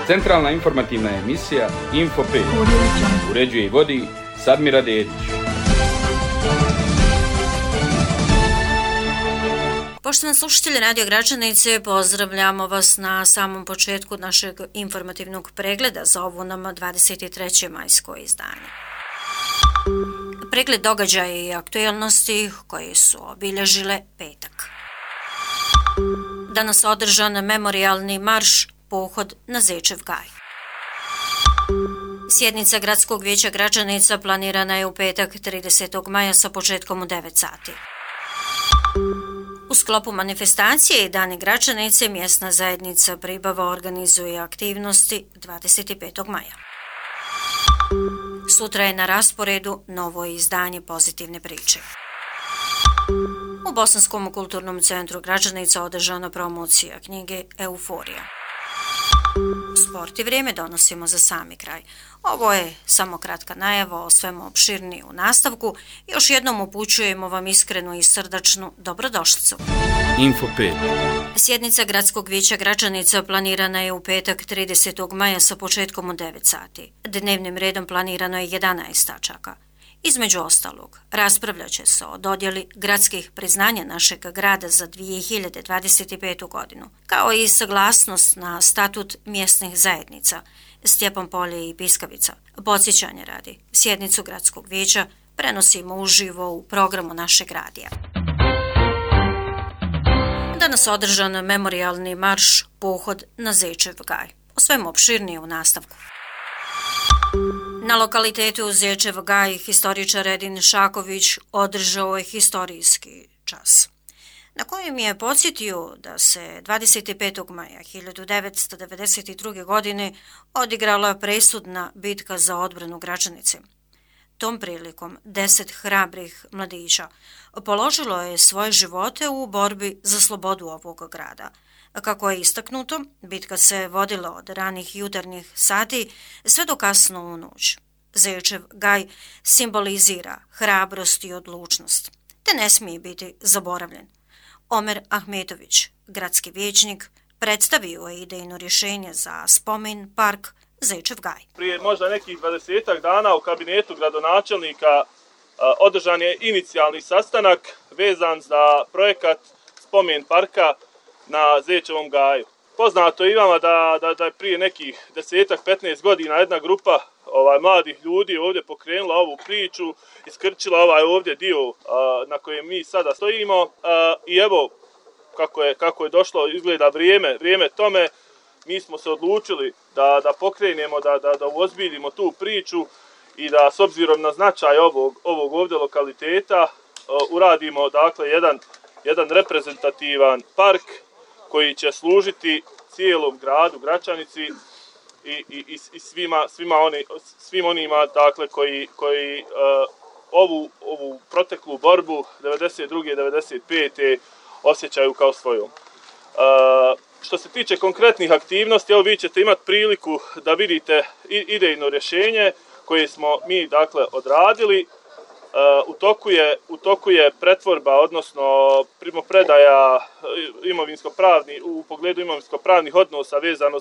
Centralna informativna emisija Info 5. Uređuje i vodi Sadmira Dedić. Poštovani slušatelji Radio Gračanice, pozdravljamo vas na samom početku našeg informativnog pregleda za ovo nam 23. majsko izdanje. Pregled događaja i aktualnosti koje su obilježile petak. Danas održan memorijalni marš Pohod na Zečev gaj. Sjednica Gradskog vijeća Gračanica planirana je u petak 30. maja sa početkom u 9 sati. U sklopu manifestacije i Dani Gračanice mjesna zajednica Pribava organizuje aktivnosti 25. maja. Sutra je na rasporedu novo izdanje Pozitivne priče. U Bosanskom kulturnom centru Gračanica održana promocija knjige Euforija. Sport i vrijeme donosimo za sami kraj. Ovo je samo kratka najava o svemu opširnije u nastavku. Još jednom upućujemo vam iskrenu i srdačnu dobrodošlicu. Info 5. Sjednica Gradskog vijeća Gračanica planirana je u petak 30. maja sa početkom u 9 sati. Dnevnim redom planirano je 11 tačaka. Između ostalog, raspravljat će se o dodjeli gradskih priznanja našeg grada za 2025. godinu, kao i saglasnost na statut mjesnih zajednica Stjepan Polje i Piskavica. Podsjećanje radi, sjednicu Gradskog vijeća prenosimo uživo u programu našeg radija. Danas održan memorijalni marš Pohod na Zečev gaj. O svemu opširnije u nastavku. Na lokalitetu Zečev gaj historičar Edin Šaković održao je historijski čas, na kojem je podsjetio da se 25. maja 1992. godine odigrala presudna bitka za odbranu Gračanice. Tom prilikom 10 hrabrih mladića položilo je svoje živote u borbi za slobodu ovog grada. Kako je istaknuto, bitka se vodila od ranih jutarnjih sati sve do kasno u noć. Zečev gaj simbolizira hrabrost i odlučnost, te ne smije biti zaboravljen. Omer Ahmetović, gradski vijećnik, predstavio je idejno rješenje za spomen park Zečev gaj. Prije možda nekih 20 dana u kabinetu gradonačelnika održan je inicijalni sastanak vezan za projekat spomen parka na Zečevom gaju. Poznato je i vama da je prije nekih 10-15 godina jedna grupa mladih ljudi ovdje pokrenula ovu priču, iskrčila ovaj ovdje dio na kojem mi sada stojimo i evo kako je došlo, izgleda vrijeme tome, mi smo se odlučili da pokrenemo, da uozbiljimo tu priču i da s obzirom na značaj ovog ovdje lokaliteta uradimo dakle jedan reprezentativan park koji će služiti cijelom gradu Gračanici i svim onima dakle koji ovu proteklu borbu 92. 95. osjećaju kao svojom. Što se tiče konkretnih aktivnosti, evo vi ćete imati priliku da vidite idejno rješenje koje smo mi dakle odradili. U toku je pretvorba, odnosno primopredaja u pogledu imovinsko-pravnih odnosa vezano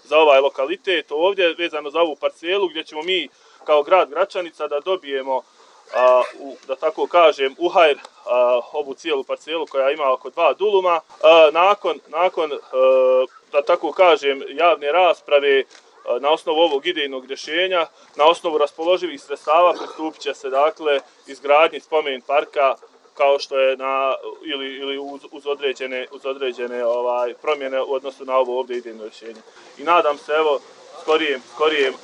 za ovaj lokalitet ovdje, vezano za ovu parcelu gdje ćemo mi kao grad Gračanica da dobijemo, da tako kažem, u hajr ovu cijelu parcelu koja ima oko 2 duluma. Nakon da tako kažem, javne rasprave, na osnovu ovog idejnog rješenja, na osnovu raspoloživih sredstava pristupit će se dakle izgradnji spomen parka kao što je ili uz određene promjene u odnosu na ovo ovdje idejno rješenje. I nadam se evo skorijem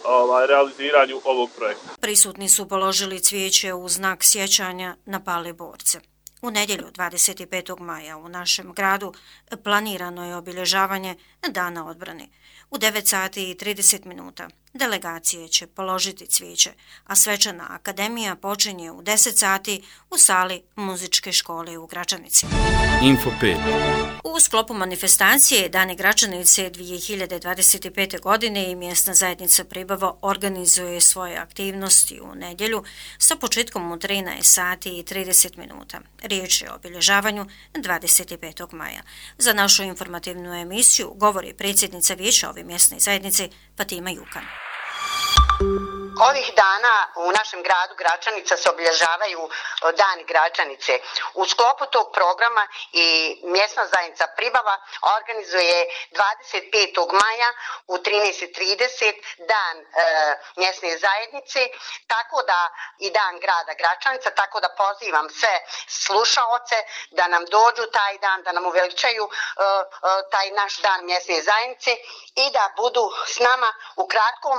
realiziranju ovog projekta. Prisutni su položili cvijeće u znak sjećanja na pale borce. U nedjelju 25. maja u našem gradu planirano je obilježavanje Dana odbrane. U 9 sati i 30 minuta Delegacije će položiti cvijeće, a svečana akademija počinje u 10 sati u sali muzičke škole u Gračanici. Info 5. U sklopu manifestacije Dani Gračanice 2025. godine i mjesna zajednica Pribava organizuje svoje aktivnosti u nedjelju sa početkom u 13 sati i 30 minuta. Riječ je o obilježavanju 25. maja. Za našu informativnu emisiju govori predsjednica vijeća ove mjesne zajednice Fatima Jukan. Ovih dana u našem gradu Gračanica se obilježavaju Dani Gračanice. U sklopu tog programa i mjesna zajednica Pribava organizuje 25. maja u 13:30 dan mjesne zajednice, tako da i dan grada Gračanica, tako da pozivam sve slušaoce da nam dođu taj dan, da nam uveličaju taj naš dan mjesne zajednice i da budu s nama u kratkom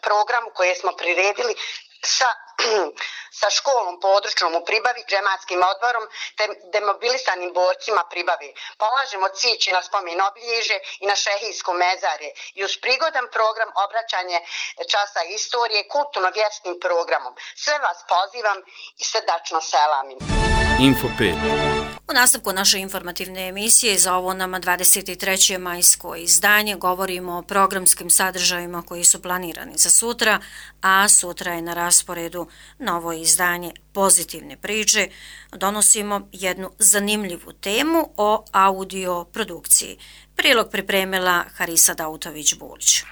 programu koje smo priredili sa školom područnom u Pribavi, džematskim odborom te demobilisanim borcima Pribave. Polažemo cvijeće na spomen obilježje i na šehijsko mezarje i uz prigodan program obraćanje časa istorije kulturno-vjerskim programom. Sve vas pozivam i srdačno selamim. Info 5. U nastavku naše informativne emisije za ovo nama 23. majsko izdanje govorimo o programskim sadržajima koji su planirani za sutra, a sutra je na rasporedu novo izdanje Pozitivne priče. Donosimo jednu zanimljivu temu o audio produkciji. Prilog pripremila Harisa Dautović-Bulić.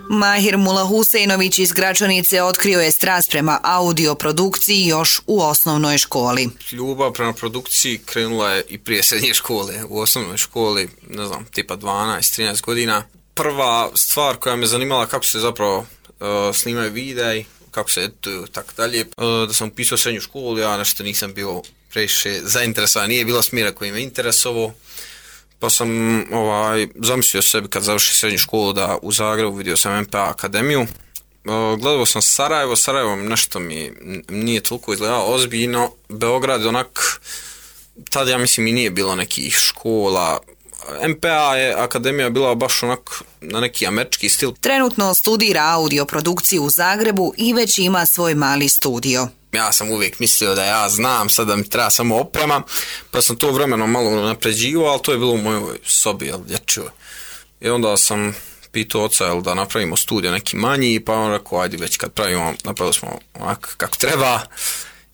Mahir Mula-Huseinović iz Gračanice otkrio je strast prema audio produkciji još u osnovnoj školi. Ljubav prema produkciji krenula je i prije srednje škole. U osnovnoj školi, ne znam, tipa 12-13 godina. Prva stvar koja me zanimala kako se zapravo snimaju videi, kako se edituju, tako dalje. Da sam upisao srednju školu, ja nešto nisam bio previše zainteresovan, nije bilo smjera koji me interesovao. Pa sam zamislio sebi kad završi srednju školu da u Zagrebu vidio sam MPA akademiju. Gledao sam Sarajevo nešto mi nije toliko izgledalo ozbiljno. Beograd onak, tada ja mislim i nije bilo nekih škola. MPA je akademija bila baš onak na neki američki stil. Trenutno studira audio produkciju u Zagrebu i već ima svoj mali studio. Ja sam uvijek mislio da ja znam, sad da mi treba samo oprema, pa sam to vremenom malo napređivao, ali to je bilo u mojoj sobi, dječjoj. I onda sam pitao oca da napravimo studio neki manji, pa on rekao, ajde već kad pravimo, napravili smo onako kako treba.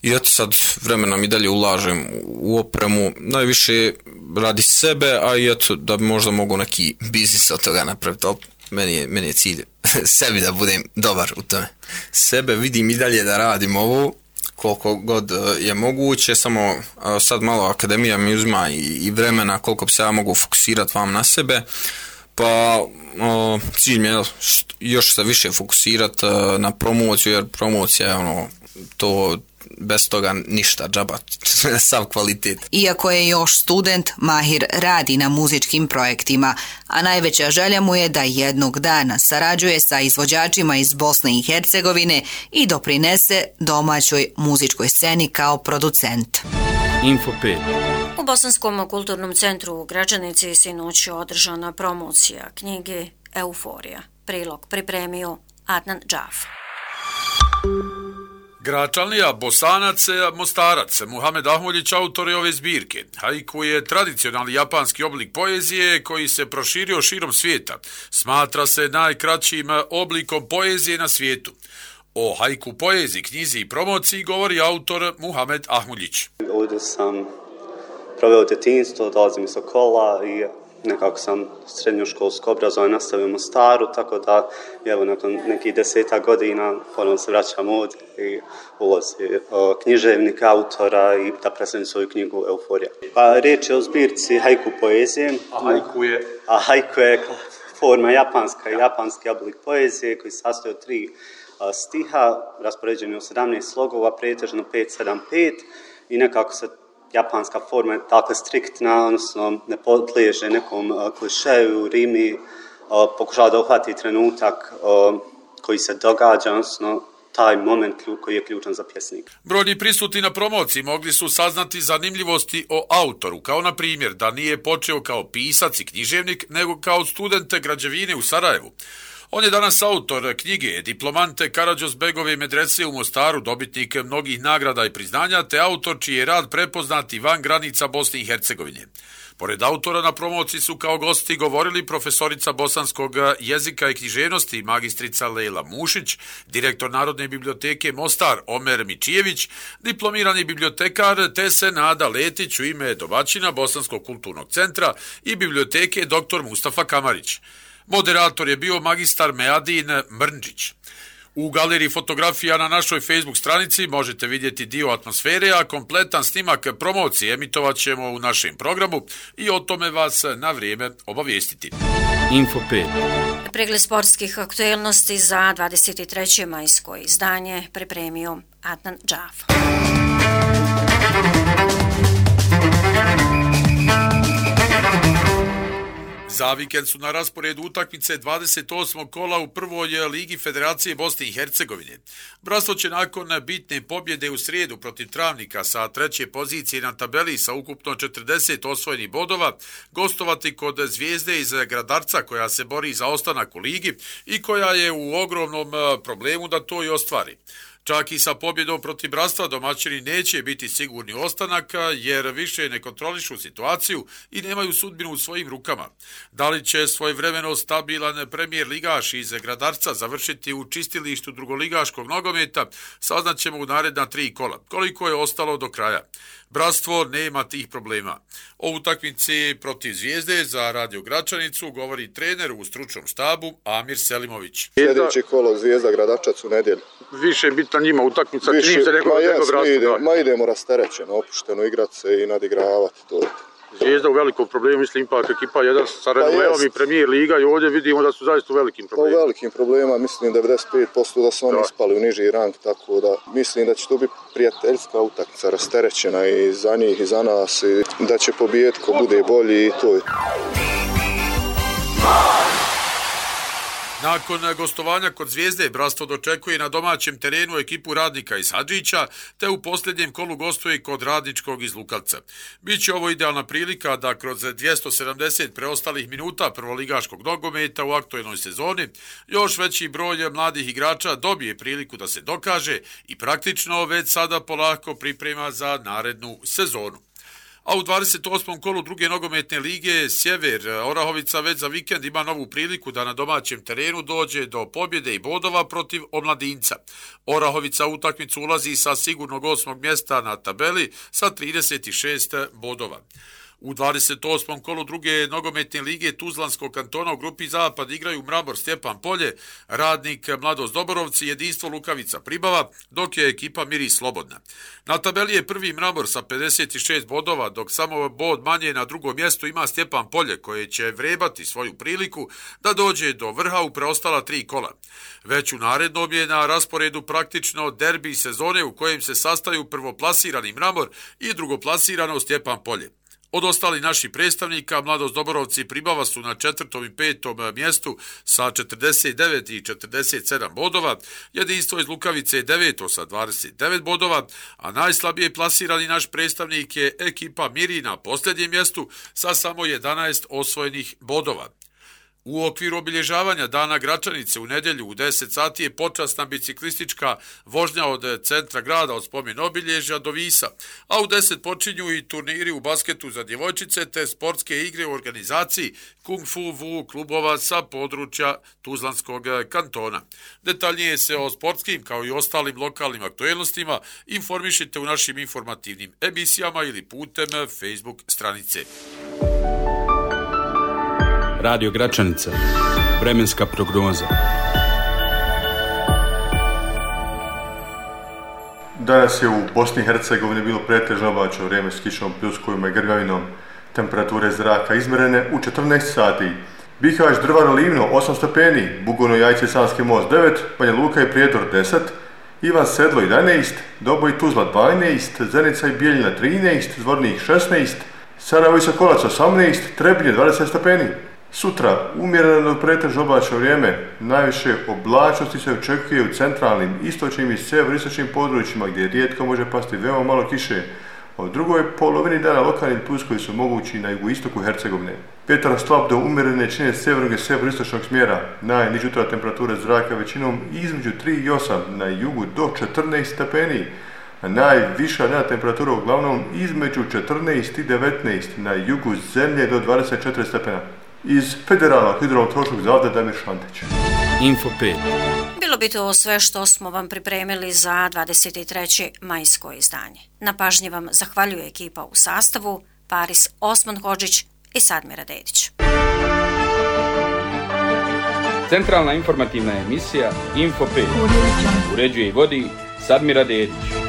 I eto sad vremenom i dalje ulažem u opremu, najviše radi sebe, a i eto da bi možda mogu neki biznis od toga napraviti, ali meni je cilj sebi da budem dobar u tome. Sebe vidim i dalje da radim ovo koliko god je moguće, samo sad malo akademija mi uzima i vremena koliko bi se ja mogu fokusirati vam na sebe, pa cilj mi je još se više fokusirati na promociju, jer promocija je to bez toga ništa, džaba, sav kvalitet. Iako je još student, Mahir radi na muzičkim projektima, a najveća želja mu je da jednog dana sarađuje sa izvođačima iz Bosne i Hercegovine i doprinese domaćoj muzičkoj sceni kao producent. Info 5. U Bosanskom kulturnom centru u Gračanici sinoć je održana promocija knjige Euforija. Prilog pripremio Adnan Džaf. Gračanlija, Bosanac, Mostarac, Muhamed Ahmuljić, autor je ove zbirke. Haiku je tradicionalni japanski oblik poezije koji se proširio širom svijeta. Smatra se najkraćim oblikom poezije na svijetu. O haiku poeziji, knjizi i promociji govori autor Muhamed Ahmuljić. Ovdje sam proveo djetinjstvo, dolazim iz Sokola i nekako sam srednjoškolsko obrazovanje nastavio u Mostaru, tako da evo nakon nekih 10 godina ponovno se vraćam ovdje i ulozi književnika, autora i da predstavim svoju knjigu Euforija. Pa riječ je o zbirci haiku poezije. A haiku je forma japanski oblik poezije koji se sastoji od 3 stiha, raspoređeni u 17 slogova, pretežno 5-7-5 i nekako se japanska forma je tako striktna, odnosno ne podliježe nekom klišeju, rimi, pokušava da uhvati trenutak koji se događa, odnosno taj moment koji je ključan za pjesnik. Brojni prisutni na promociji mogli su saznati zanimljivosti o autoru, kao na primjer da nije počeo kao pisac i književnik, nego kao student građevine u Sarajevu. On je danas autor knjige Diplomante Karađorđebegove medrese u Mostaru, dobitnik mnogih nagrada i priznanja, te autor čiji je rad prepoznat i van granica Bosne i Hercegovine. Pored autora na promociji su kao gosti govorili profesorica bosanskog jezika i književnosti magistrica Lejla Mušić, direktor Narodne biblioteke Mostar Omer Mičijević, diplomirani bibliotekar te Senada Letić u ime domaćina Bosanskog kulturnog centra i biblioteke dr. Mustafa Kamarić. Moderator je bio magistar Meadin Mrnđić. U galeriji fotografija na našoj Facebook stranici možete vidjeti dio atmosfere, a kompletan snimak promocije emitovat ćemo u našem programu i o tome vas na vrijeme obavijestiti. Info 5. Pregled sportskih aktuelnosti za 23. majsko izdanje pripremio Adnan Džaf. Za vikend su na rasporedu utakmice 28. kola u prvoj ligi Federacije Bosne i Hercegovine. Bratstvo će nakon bitne pobjede u srijedu protiv Travnika sa treće pozicije na tabeli sa ukupno 40 osvojenih bodova gostovati kod Zvijezde iz Gradarca koja se bori za ostanak u ligi i koja je u ogromnom problemu da to i ostvari. Čak i sa pobjedom protiv Bratstva domaćini neće biti sigurni ostanak jer više ne kontrolišu situaciju i nemaju sudbinu u svojim rukama. Da li će svojevremeno stabilan premijer ligaš iz Gradarca završiti u čistilištu drugoligaškog nogometa, saznaćemo u naredna 3 kola. Koliko je ostalo do kraja? Bratstvo nema tih problema. O utakmici protiv Zvijezde za Radio Gračanicu govori trener u stručnom štabu Amir Selimović. Sljedeći kolo Zvijezda Gradačac u nedjelju. Više je bitan njima utakmica, čini se nekog Bratstva. Idemo rasterećeno, opušteno igrati se i nadigravati to. Zvijezda u velikom problemu, mislim ipak ekipa jedan sa renomom i premijer liga i ovdje vidimo da su zaista u velikim problemima. U velikim problema, mislim 95% da su oni ispali u niži rang, tako da mislim da će to biti prijateljska utakmica, rasterećena i za njih i za nas i da će pobijediti ko bude bolji i to je. Nakon gostovanja kod Zvijezde, Bratstvo dočekuje na domaćem terenu ekipu Radnika iz Hadžića, te u posljednjem kolu gostuje kod Radničkog iz Lukavca. Biće ovo idealna prilika da kroz 270 preostalih minuta prvoligaškog nogometa u aktuelnoj sezoni još veći broj mladih igrača dobije priliku da se dokaže i praktično već sada polako priprema za narednu sezonu. A u 28. kolu druge nogometne lige Sjever Orahovica već za vikend ima novu priliku da na domaćem terenu dođe do pobjede i bodova protiv Omladinca. Orahovica u utakmicu ulazi sa sigurnog 8. mjesta na tabeli sa 36 bodova. U 28. kolu druge nogometne lige Tuzlanskog kantona u grupi Zapad igraju Mramor Stjepan Polje, Radnik Mladost Doborovci, Jedinstvo Lukavica Pribava, dok je ekipa Miris slobodna. Na tabeli je prvi Mramor sa 56 bodova, dok samo bod manje na drugom mjestu ima Stjepan Polje, koje će vrebati svoju priliku da dođe do vrha u preostala 3 kola. Već u narednom je na rasporedu praktično derbi sezone u kojem se sastaju prvoplasirani Mramor i drugoplasirano Stjepan Polje. Od ostali naših predstavnika, Mladost Doborovci i Pribava su na 4. i 5. mjestu sa 49 i 47 bodova, Jedinstvo iz Lukavice je 9. sa 29 bodova, a najslabije plasirani naš predstavnik je ekipa Miri na posljednjem mjestu sa samo 11 osvojenih bodova. U okviru obilježavanja Dana Gračanice u nedjelju u 10 sati je počasna biciklistička vožnja od centra grada od spomen obilježja do Visa, a u 10 počinju i turniri u basketu za djevojčice te sportske igre u organizaciji Kung Fu Wu klubova sa područja Tuzlanskog kantona. Detaljnije se o sportskim kao i ostalim lokalnim aktuelnostima informišite u našim informativnim emisijama ili putem Facebook stranice. Radio Gračanica. Vremenska prognoza. Danas je u Bosni i Hercegovini bilo pretežno oblačno vrijeme s kišom, pljuskovima i grgavinom. Temperature zraka izmjerene u 14 sati. Bihać, Drvar, Livno 8 stepeni, Bugojno, Jajce, Sanski most 9, Banja Luka i Prijedor 10, Ivan Sedlo 11, Doboj, Tuzla 12, Zenica i Bijeljina 13, Zvornik 16, Sarajevo i Sokolac 18, Trebinje 20 stepeni. Sutra umjereno pretežno oblačno vrijeme, najviše oblačnosti se očekuje u centralnim, istočnim i sjeveroistočnim područjima gdje rijetko može pasti veoma malo kiše. U drugoj polovini dana lokalni pljuskovi su mogući na jugoistoku Hercegovine. Vjetar slab do umjerene čine sjevernog i sjeveristočnog smjera. Najniža jutarnja temperatura zraka većinom između 3 i 8, na jugu do 14 stepeni. A najviša dnevna temperatura uglavnom između 14 i 19, na jugu zemlje do 24 stepena. Iz Federalnog hidrometeorološkog zavoda Damir Šantić. Info 5. Bilo bi to sve što smo vam pripremili za 23. majsko izdanje. Na pažnji vam zahvaljuje ekipa u sastavu Paris Osman-Hodžić i Sadmira Dedić. Centralna informativna emisija Info 5. Uređuje i vodi Sadmira Dedić.